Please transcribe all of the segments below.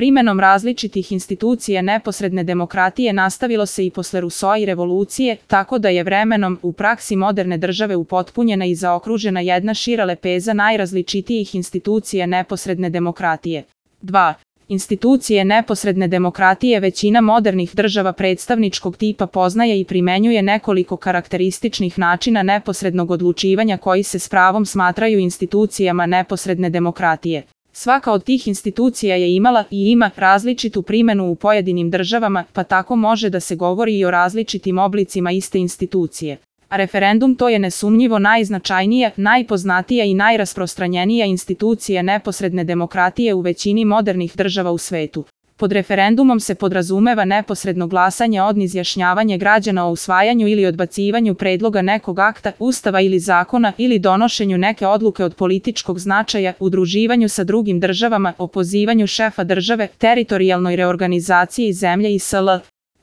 primenom različitih institucija neposredne demokratije nastavilo se i posle Rusoa i revolucije, tako da je vremenom u praksi moderne države upotpunjena i zaokružena jedna šira lepeza najrazličitijih institucija neposredne demokratije. 2. Institucije neposredne demokratije većina modernih država predstavničkog tipa poznaje i primenjuje nekoliko karakterističnih načina neposrednog odlučivanja koji se s pravom smatraju institucijama neposredne demokratije. Svaka od tih institucija je imala i ima različitu primenu u pojedinim državama, pa tako može da se govori i o različitim oblicima iste institucije. A referendum to je nesumnjivo najznačajnija, najpoznatija i najrasprostranjenija institucija neposredne demokratije u većini modernih država u svetu. Pod referendumom se podrazumeva neposredno glasanje od izjašnjavanje građana o usvajanju ili odbacivanju predloga nekog akta, ustava ili zakona ili donošenju neke odluke od političkog značaja, udruživanju sa drugim državama, opozivanju šefa države, teritorijalnoj reorganizaciji zemlje i sl.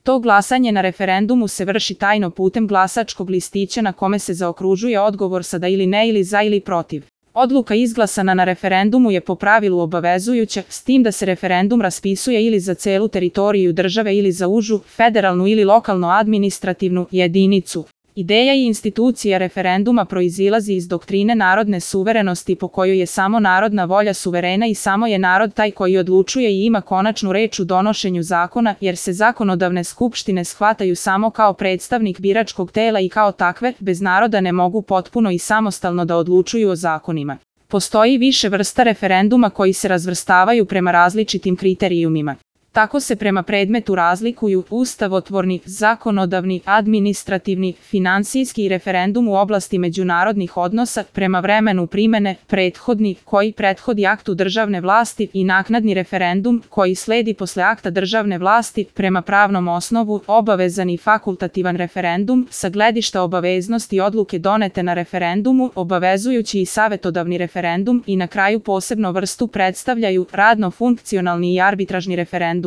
To glasanje na referendumu se vrši tajno putem glasačkog listića na kome se zaokružuje odgovor sa da ili ne ili za ili protiv. Odluka izglasana na referendumu je po pravilu obavezujuća, s tim da se referendum raspisuje ili za celu teritoriju države ili za užu, federalnu ili lokalno administrativnu jedinicu. Ideja i institucija referenduma proizilazi iz doktrine narodne suverenosti po kojoj je samo narodna volja suverena i samo je narod taj koji odlučuje i ima konačnu reč u donošenju zakona, jer se zakonodavne skupštine shvataju samo kao predstavnik biračkog tela i kao takve, bez naroda ne mogu potpuno i samostalno da odlučuju o zakonima. Postoji više vrsta referenduma koji se razvrstavaju prema različitim kriterijumima. Tako se prema predmetu razlikuju ustavotvorni, zakonodavni, administrativni, finansijski i referendum u oblasti međunarodnih odnosa, prema vremenu primene, prethodni, koji prethodi aktu državne vlasti i naknadni referendum, koji sledi posle akta državne vlasti, prema pravnom osnovu, obavezan i fakultativan referendum, sa gledišta obaveznosti odluke donete na referendumu, obavezujući i savetodavni referendum i na kraju posebno vrstu predstavljaju radno-funkcionalni i arbitražni referendum.